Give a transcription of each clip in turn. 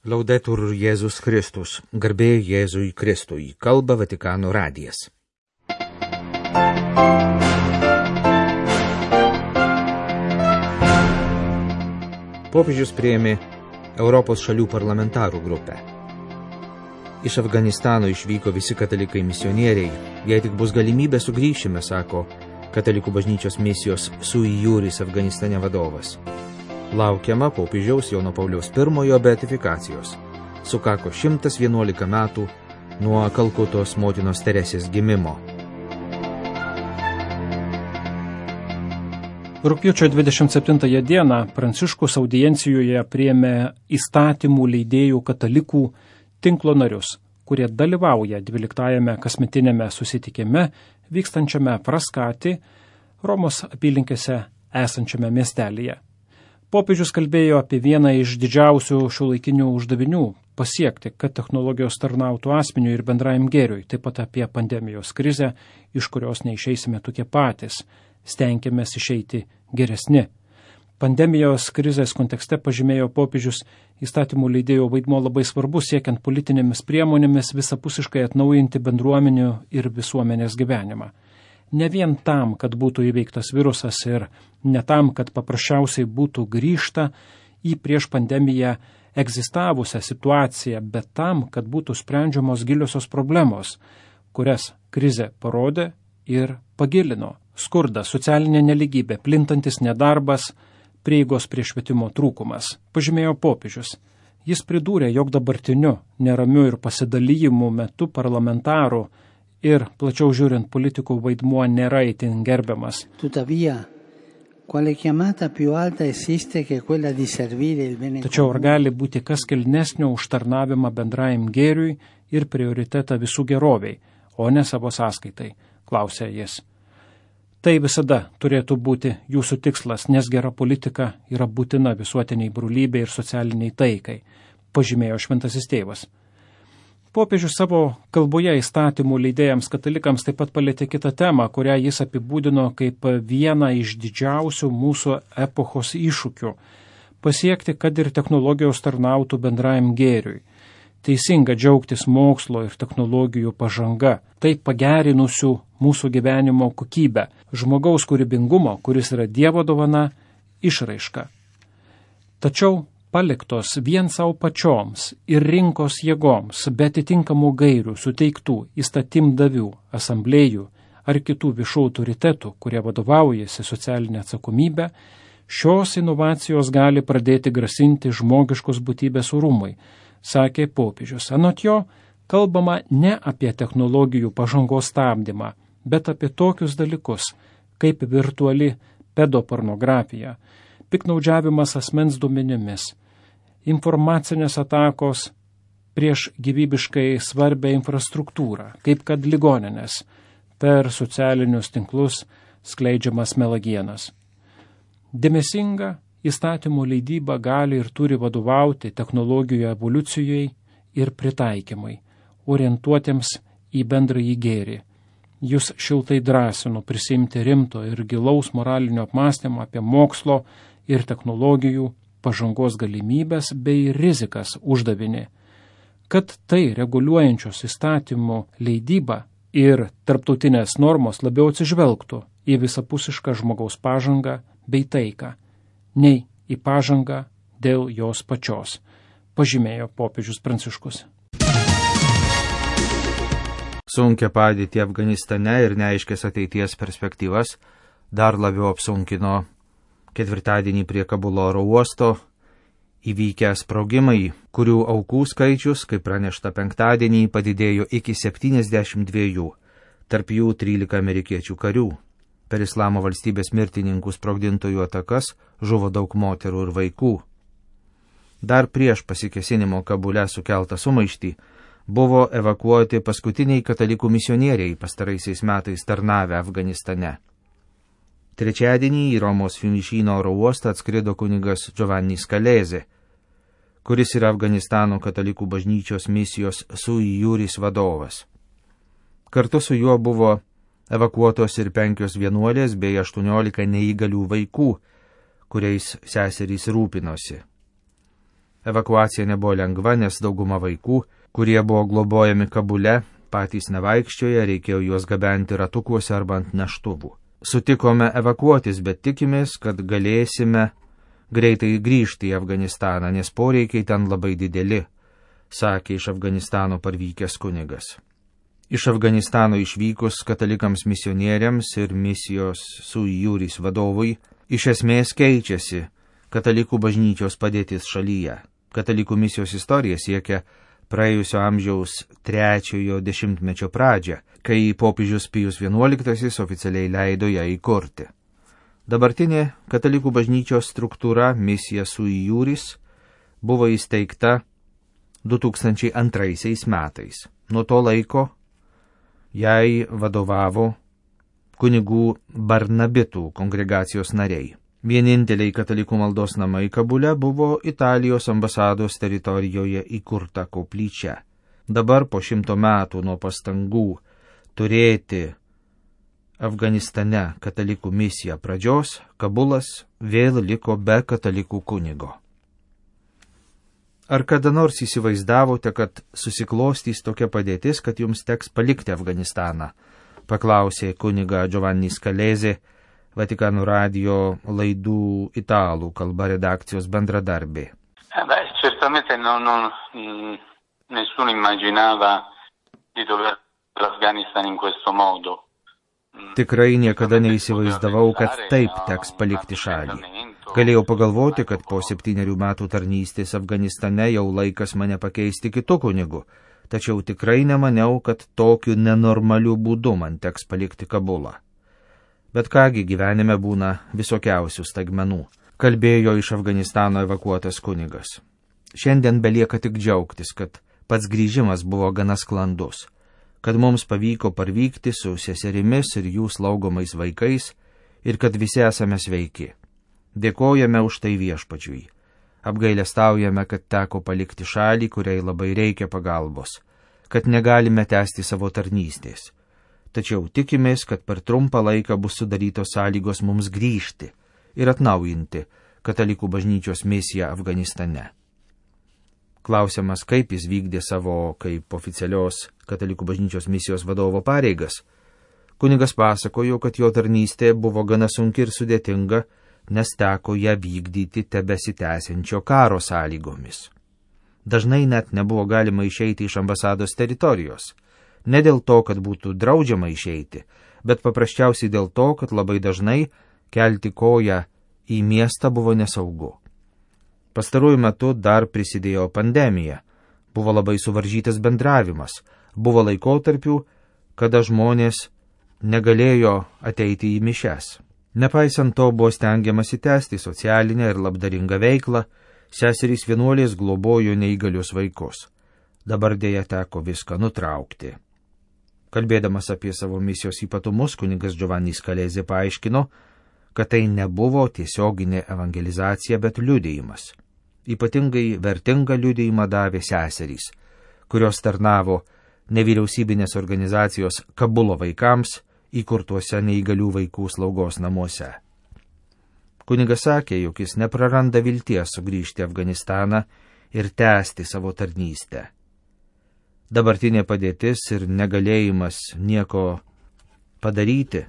Laudetur Jėzus Kristus, garbė Jėzui Kristui, kalba Vatikano radijas. Popiežius priėmė Europos šalių parlamentarų grupę. Iš Afganistano išvyko visi katalikai misionieriai. Jei tik bus galimybė, sugrįšime, sako Katalikų bažnyčios misijos Sui Juris Afganistane vadovas. Laukiama popiežiaus Jono Pauliaus I beatifikacijos. Sukako 111 metų nuo Kalkutos motinos Teresės gimimo. Rugpjūčio 27 dieną Pranciškus audiencijoje priėmė įstatymų leidėjų katalikų tinklo narius, kurie dalyvauja 12-ame kasmetiniame susitikime vykstančiame Fraskati, Romos apylinkėse esančiame miestelyje. Popiežius kalbėjo apie vieną iš didžiausių šiuolaikinių uždavinių – pasiekti, kad technologijos tarnautų asmeniui ir bendrajam gėriui, taip pat apie pandemijos krizę, iš kurios neišeisime tokie patys, stenkėmės išeiti geresni. Pandemijos krizės kontekste, pažymėjo popiežius, įstatymų leidėjo vaidmuo labai svarbus siekiant politinėmis priemonėmis visapusiškai atnaujinti bendruomenių ir visuomenės gyvenimą. Ne vien tam, kad būtų įveiktas virusas ir ne tam, kad paprasčiausiai būtų grįžta į prieš pandemiją egzistavusią situaciją, bet tam, kad būtų sprendžiamos giliosios problemos, kurias krizė parodė ir pagilino. Skurdas, socialinė neligybė, plintantis nedarbas, prieigos prie švietimo trūkumas, pažymėjo popiežius. Jis pridūrė, jog dabartiniu, neramiu ir pasidalijimų metu parlamentarų ir, plačiau žiūrint, politikų vaidmuo nėra itin gerbiamas. Tačiau ar gali būti kas kilnesnio už tarnavimą bendrajam gėriui ir prioritetą visų geroviai, o ne savo sąskaitai, klausė jis. Tai visada turėtų būti jūsų tikslas, nes gera politika yra būtina visuotiniai brolybei ir socialiniai taikai, pažymėjo šventasis tėvas. Popiežius savo kalboje įstatymų leidėjams katalikams taip pat palėtė kitą temą, kurią jis apibūdino kaip vieną iš didžiausių mūsų epochos iššūkių – pasiekti, kad ir technologijos tarnautų bendrajam gėriui. Teisinga džiaugtis mokslo ir technologijų pažanga, tai pagerinusių mūsų gyvenimo kokybę, žmogaus kūrybingumo, kuris yra Dievo dovana, išraiška. Tačiau paliktos vien savo pačioms ir rinkos jėgoms, be atitinkamų gairių suteiktų įstatymdavių, asamblėjų ar kitų viešų autoritetų, kurie vadovaujasi socialinę atsakomybę, šios inovacijos gali pradėti grasinti žmogiškos būtybės orumui, sakė popiežius. Anot jo, kalbama ne apie technologijų pažangos stabdymą, bet apie tokius dalykus, kaip virtuali pedopornografija, piknaudžiavimas asmens duomenimis, informacinės atakos prieš gyvybiškai svarbę infrastruktūrą, kaip kad ligoninės, per socialinius tinklus skleidžiamas melagienas. Dėmesinga įstatymų leidyba gali ir turi vadovauti technologijų evoliucijai ir pritaikymui, orientuotiems į bendrąjį gėrį. Jūs šiltai drąsinu prisimti rimto ir gilaus moralinio apmąstymo apie mokslo ir technologijų pažangos galimybės bei rizikas uždavinį, kad tai reguliuojančios įstatymų leidyba ir tarptautinės normos labiau atsižvelgtų į visapusišką žmogaus pažangą bei taiką, nei į pažangą dėl jos pačios, pažymėjo popiežius Pranciškus. Sunkia padėtį Afganistane ir neaiškės ateities perspektyvas dar labiau apsunkino ketvirtadienį prie Kabulo oro uosto įvykę sprogimai, kurių aukų skaičius, kaip pranešta penktadienį, padidėjo iki 72, tarp jų 13 amerikiečių karių. Per Islamo valstybės mirtininkų sprogdintojų atakas žuvo daug moterų ir vaikų. Dar prieš pasikėsinimo Kabule sukeltą sumaištį buvo evakuoti paskutiniai katalikų misionieriai pastaraisiais metais tarnavę Afganistane. Trečiadienį į Romos Fiumicino oro uostą atskrido kunigas Giovanni Scalese, kuris yra Afganistano katalikų bažnyčios misijos Sui Juris vadovas. Kartu su juo buvo evakuotos ir 5 vienuolės bei 18 neįgalių vaikų, kuriais seserys rūpinosi. Evakuacija nebuvo lengva, nes dauguma vaikų, kurie buvo globojami Kabule, patys nevaikščioja, reikėjo juos gabenti ratukuose arba ant neštuvų. Sutikome evakuotis, bet tikimės, kad galėsime greitai grįžti į Afganistaną, nes poreikiai ten labai dideli, sakė iš Afganistano parvykęs kunigas. Iš Afganistano išvykus katalikams misionieriams ir misijos Sui Juris vadovui iš esmės keičiasi katalikų bažnyčios padėtis šalyje. Katalikų misijos istorija siekia praėjusio amžiaus 3-ojo dešimtmečio pradžią, kai popiežius Pijus XI oficialiai leido ją įkurti. Dabartinė katalikų bažnyčios struktūra misija Sui Juris buvo įsteigta 2002 metais. Nuo to laiko jai vadovavo kunigų Barnabitų kongregacijos nariai. Vieninteliai katalikų maldos namai Kabule buvo Italijos ambasados teritorijoje įkurta koplyčia. Dabar po 100 metų nuo pastangų turėti Afganistane katalikų misiją pradžios, Kabulas vėl liko be katalikų kunigo. Ar kada nors įsivaizdavote, kad susiklostys tokia padėtis, kad jums teks palikti Afganistaną? Paklausė kuniga Giovanni Scalese, Vatikano radio laidų italų kalba redakcijos bendradarbė. Certamente nessuno immaginava di dover l'Afghanistan in questo modo. Tikrai niekada neįsivaizdavau, kad taip teks palikti šalį. Galėjau pagalvoti, kad po 7 metų tarnystės Afganistane jau laikas mane pakeisti kitu kunigu, tačiau tikrai nemaniau, kad tokiu nenormaliu būdu man teks palikti Kabulą. Bet kągi gyvenime būna visokiausių staigmenų, kalbėjo iš Afganistano evakuotas kunigas. Šiandien belieka tik džiaugtis, kad pats grįžimas buvo gana sklandus, kad mums pavyko parvykti su seserimis ir jų slaugomais vaikais ir kad visi esame sveiki. Dėkojame už tai Viešpačiui. Apgailestaujame, kad teko palikti šalį, kuriai labai reikia pagalbos, kad negalime tęsti savo tarnystės. Tačiau tikimės, kad per trumpą laiką bus sudarytos sąlygos mums grįžti ir atnaujinti katalikų bažnyčios misiją Afganistane. Klausiamas, kaip jis vykdė savo kaip oficialios katalikų bažnyčios misijos vadovo pareigas, kunigas pasakojo, kad jo tarnystė buvo gana sunki ir sudėtinga, nes teko ją vykdyti tebesitęsiančio karo sąlygomis. Dažnai net nebuvo galima išeiti iš ambasados teritorijos. Ne dėl to, kad būtų draudžiama išeiti, bet paprasčiausiai dėl to, kad labai dažnai kelti koją į miestą buvo nesaugu. Pastaruoju metu dar prisidėjo pandemija, buvo labai suvaržytas bendravimas, buvo laikotarpių, kada žmonės negalėjo ateiti į mišias. Nepaisant to buvo stengiamasi tęsti socialinę ir labdaringą veiklą, seserys vienuolės globojo neįgalius vaikus. Dabar dėja teko viską nutraukti. Kalbėdamas apie savo misijos ypatumus, kunigas Giovanni Scalese paaiškino, kad tai nebuvo tiesioginė evangelizacija, bet liudijimas. Ypatingai vertingą liudijimą davė seserys, kurios tarnavo nevyriausybinės organizacijos Kabulo vaikams įkurtuose neįgalių vaikų slaugos namuose. Kunigas sakė, jog jis nepraranda vilties sugrįžti į Afganistaną ir tęsti savo tarnystę. Dabartinė padėtis ir negalėjimas nieko padaryti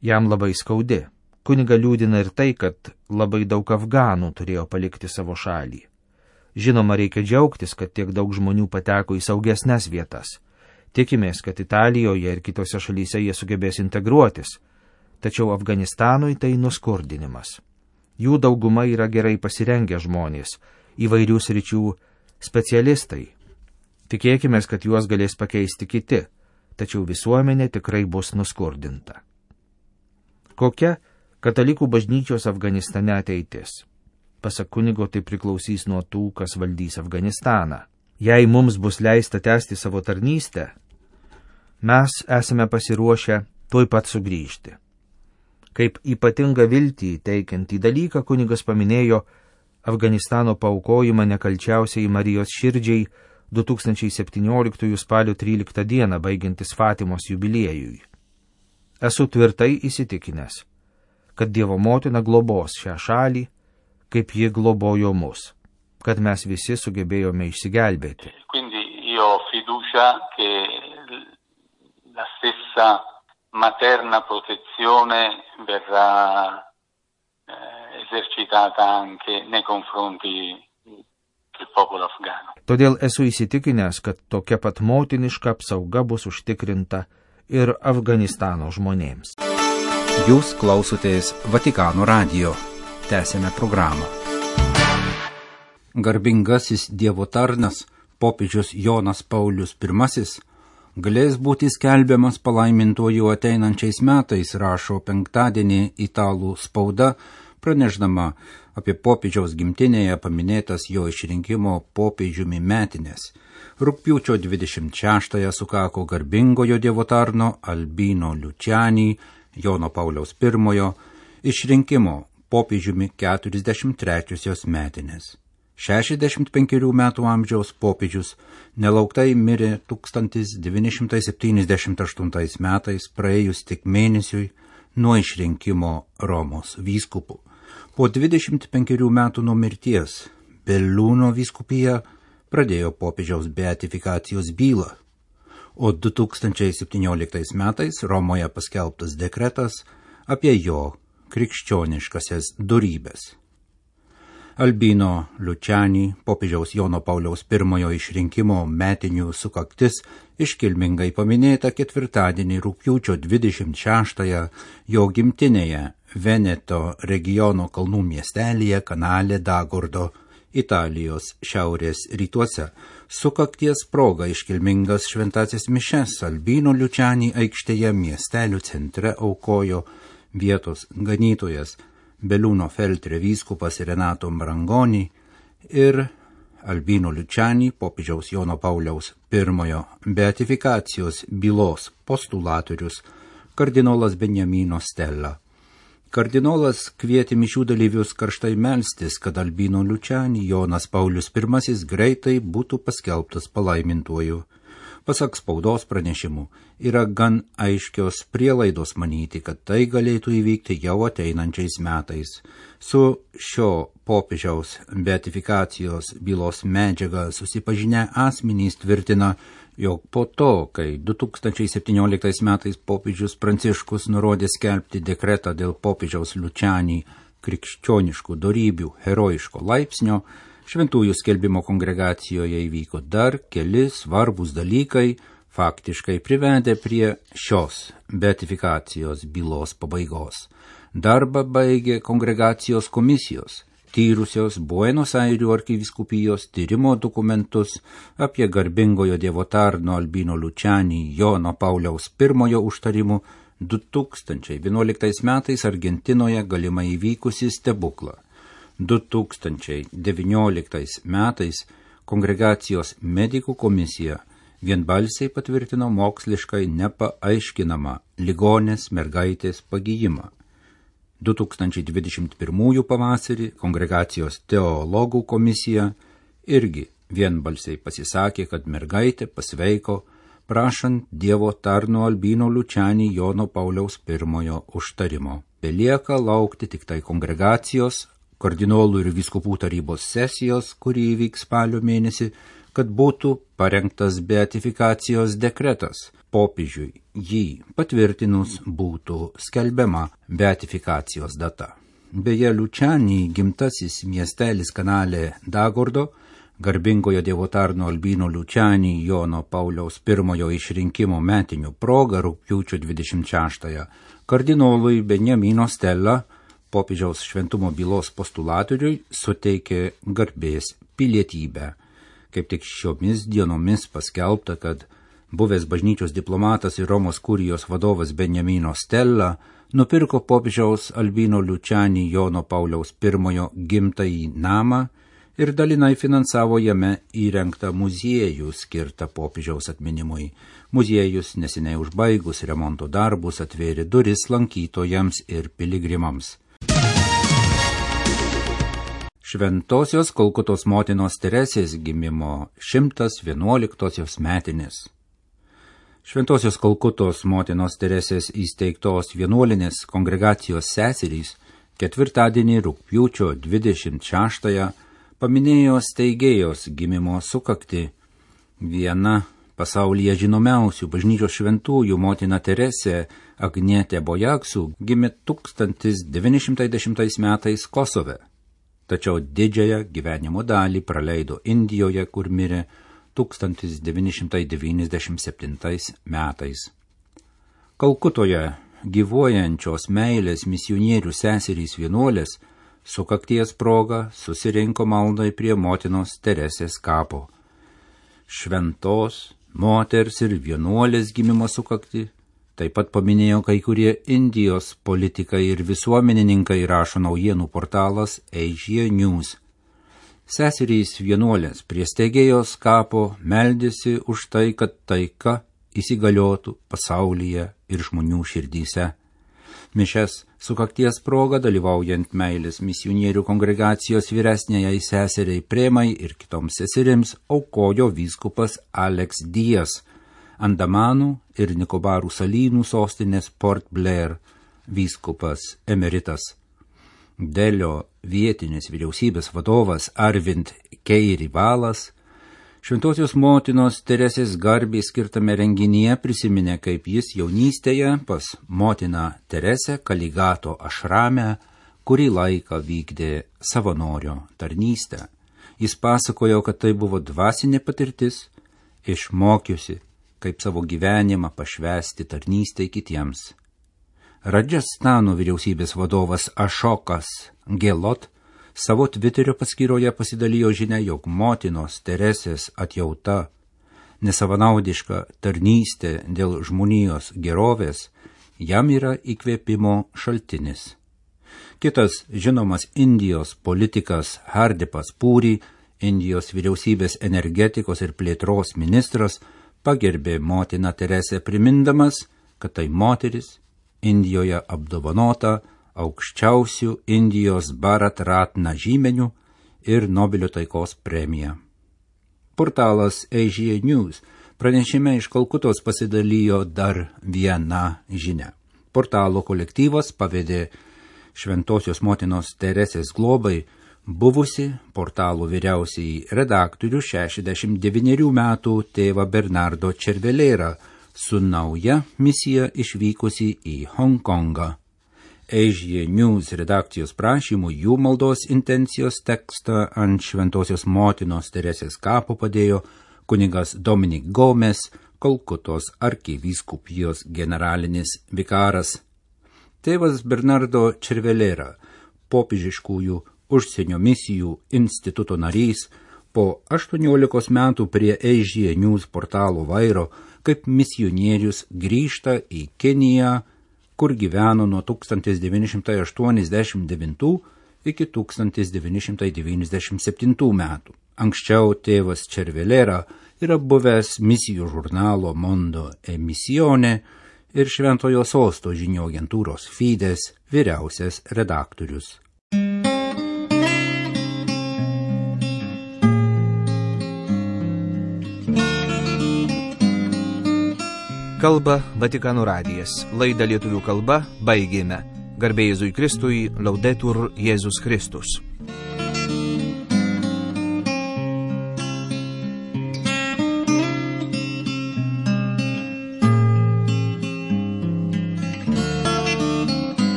jam labai skaudi. Kuniga liūdina ir tai, kad labai daug afganų turėjo palikti savo šalį. Žinoma, reikia džiaugtis, kad tiek daug žmonių pateko į saugesnes vietas. Tikimės, kad Italijoje ir kitose šalyse jie sugebės integruotis, tačiau Afganistanui tai nuskurdinimas. Jų dauguma yra gerai pasirengę žmonės, įvairių sričių specialistai. Tikėkime, kad juos galės pakeisti kiti, tačiau visuomenė tikrai bus nuskurdinta. Kokia katalikų bažnyčios Afganistane ateitis? Pasak kunigo, tai priklausys nuo tų, kas valdys Afganistaną. Jei mums bus leista tęsti savo tarnystę, mes esame pasiruošę tuoj pat sugrįžti. Kaip ypatingą viltį teikiantį dalyką kunigas paminėjo Afganistano paaukojimą nekalčiausiai Marijos širdžiai 2017 spalio 13 dieną baigiantis Fatimos jubiliejui. Esu tvirtai įsitikinęs, kad Dievo motina globos šią šalį, kaip ji globojo mus. kad mes visi sugebėjome išsigelbėti. Quindi io ho fiducia che la stessa materna protezione verrà esercitata anche nei confronti del popolo afgano. Todėl esu įsitikinęs, kad tokia pat motiniška apsauga bus užtikrinta ir Afganistano žmonėms. Jūs klausotės Vatikano radijo. Tęsėme programą. Garbingasis Dievo tarnas, popiežius Jonas Paulius I, galės būti skelbiamas palaimintuoju ateinančiais metais, rašo penktadienį italų spauda, pranešdama apie popiežiaus gimtinėje paminėtas jo išrinkimo popiežiumi metinės. Rugpjūčio 26-ąją sukako garbingojo Dievo tarno Albino Luciani, Jono Pauliaus I, išrinkimo popiežiumi 43-osios metinės. 65 metų amžiaus popiežius nelauktai mirė 1978 metais, praėjus tik mėnesiui nuo išrinkimo Romos vyskupu. Po 25 metų nuo mirties Belluno vyskupija pradėjo popiežiaus beatifikacijos bylą, o 2017 metais Romoje paskelbtas dekretas apie jo krikščioniškasias dorybes. Albino Luciani, popiežiaus Jono Pauliaus I išrinkimo metinių sukaktis, iškilmingai paminėta ketvirtadienį rugpjūčio 26-ąją jo gimtinėje Veneto regiono kalnų miestelyje Kanale d'Agordo, Italijos šiaurės rytuose. Sukakties proga iškilmingas šventasis mišes Albino Luciani aikštėje miestelių centre aukojo vietos ganytojas Belluno Feltre vyskupas Renato Marangoni ir Albino Luciani, popiežiaus Jono Pauliaus I beatifikacijos bylos postulatorius kardinolas Beniamino Stella. Kardinolas kvietė mišių dalyvius karštai melstis, kad Albino Luciani Jonas Paulius I greitai būtų paskelbtas palaimintuoju. Pasak spaudos pranešimų, yra gan aiškios prielaidos manyti, kad tai galėtų įvykti jau ateinančiais metais. Su šio popiežiaus beatifikacijos bylos medžiaga susipažinę asmenys tvirtina, jog po to, kai 2017 metais popiežius Pranciškus nurodė skelbti dekretą dėl popiežiaus Luciani krikščioniškų dorybių herojiško laipsnio, šventųjų skelbimo kongregacijoje įvyko dar keli svarbūs dalykai, faktiškai privedė prie šios beatifikacijos bylos pabaigos. Darbą baigė kongregacijos komisijos, tyrusios Buenos Airių arkivyskupijos tyrimo dokumentus apie garbingojo Dievo tarno Albino Luciani Jono Pauliaus I užtarimų 2011 metais Argentinoje galimai įvykusi stebuklą. 2019 metais kongregacijos medikų komisija vienbalsiai patvirtino moksliškai nepaaiškinamą ligonės mergaitės pagijimą. 2021 pavasarį kongregacijos teologų komisija irgi vienbalsiai pasisakė, kad mergaitė pasveiko, prašant Dievo tarno Albino Luciani Jono Pauliaus I užtarimo. Belieka laukti tik tai kongregacijos, kardinolų ir vyskupų tarybos sesijos, kuri įvyks spalio mėnesį, kad būtų parengtas beatifikacijos dekretas. Popiežiui jį patvirtinus būtų skelbiama beatifikacijos data. Beje, Luciani gimtasis miestelis Kanale d'Agordo, garbingojo Dievo tarno Albino Luciani Jono Pauliaus I išrinkimo metinių proga rugpjūčio 26-ąją kardinolui Beniamino Stella, popiežiaus šventumo bylos postulatoriui, suteikė garbės pilietybę. Kaip tik šiomis dienomis paskelbta, kad buvęs bažnyčios diplomatas ir Romos kurijos vadovas Beniamino Stella nupirko popiežiaus Albino Luciani Jono Pauliaus I gimtąjį namą ir dalinai finansavo jame įrengtą muziejų skirtą popiežiaus atminimui. Muziejus neseniai užbaigus remonto darbus atvėrė duris lankytojams ir piligrimams. Šventosios Kalkutos motinos Teresės gimimo 111 metinės. Šventosios Kalkutos motinos Teresės įsteigtos vienuolinės kongregacijos seserys ketvirtadienį rugpjūčio 26-ąją paminėjo steigėjos gimimo sukaktį. Viena pasaulyje žinomiausių bažnyčios šventųjų motina Teresė Agnietė Bojaksų gimė 1910 metais Kosove, tačiau didžiąją gyvenimo dalį praleido Indijoje, kur mirė 1997 metais. Kalkutoje gyvuojančios meilės misionierių seserys vienuolės sukakties proga susirinko maldai prie motinos Teresės kapo. Šventos moters ir vienuolės gimimo sukaktį taip pat paminėjo kai kurie Indijos politikai ir visuomenininkai, rašo naujienų portalas Asia News. Seserys vienuolės prie steigėjos kapo meldėsi už tai, kad taika įsigaliotų pasaulyje ir žmonių širdyse. Mišias sukakties proga, dalyvaujant meilės misionierių kongregacijos vyresniajai seseriai Premai ir kitoms seserims, aukojo vyskupas Alex Dias, Andamanų ir Nikobarų salynų sostinės Port Blair vyskupas emeritas. Delio vietinės vyriausybės vadovas Arvind Keirivalas Šventosios motinos Teresės garbei skirtame renginyje prisiminė, kaip jis jaunystėje pas motiną Teresę Kaligato ašrame kurį laiką vykdė savanorio tarnystę. Jis pasakojo, kad tai buvo dvasinė patirtis, išmokiusi, kaip savo gyvenimą pašvęsti tarnystę kitiems. Radžastano vyriausybės vadovas Ašokas Gelot savo Twitterio paskyroje pasidalijo žinia, jog motinos Teresės atjauta, nesavanaudiška tarnystė dėl žmonijos gerovės jam yra įkvėpimo šaltinis. Kitas žinomas Indijos politikas Hardipas Pūri, Indijos vyriausybės energetikos ir plėtros ministras, pagerbė motiną Teresę primindamas, kad tai moteris Indijoje apdovanota aukščiausių Indijos Bharat Ratna žymenių ir Nobelio taikos premija. Portalas Asia News pranešime iš Kalkutos pasidalijo dar vieną žinią. Portalo kolektyvas pavedė Šventosios motinos Teresės globai buvusi portalo vyriausiai redaktorių 69 metų tėvą Bernardo Červelėrą su nauja misija išvykusi į Hongkongą. Asia News redakcijos prašymų jų maldos intencijos tekstą ant Šventosios motinos Teresės kapo padėjo kunigas Dominik Gomes, Kalkutos arkivyskupijos generalinis vikaras. Tėvas Bernardo Červelėra, popiežiškųjų užsienio misijų instituto narys, po 18 metų prie Asia News portalo vairo kaip misionierius grįžta į Keniją, kur gyveno nuo 1989 iki 1997 metų. Anksčiau tėvas Červelėra yra buvęs misijų žurnalo Mondo Emisione ir Šventojo Sosto žinių agentūros Fides vyriausias redaktorius. Kalba Vatikano radijas. Laidą lietuvių kalba baigėme. Garbė Jėzui Kristui, Laudetur Jėzus Kristus.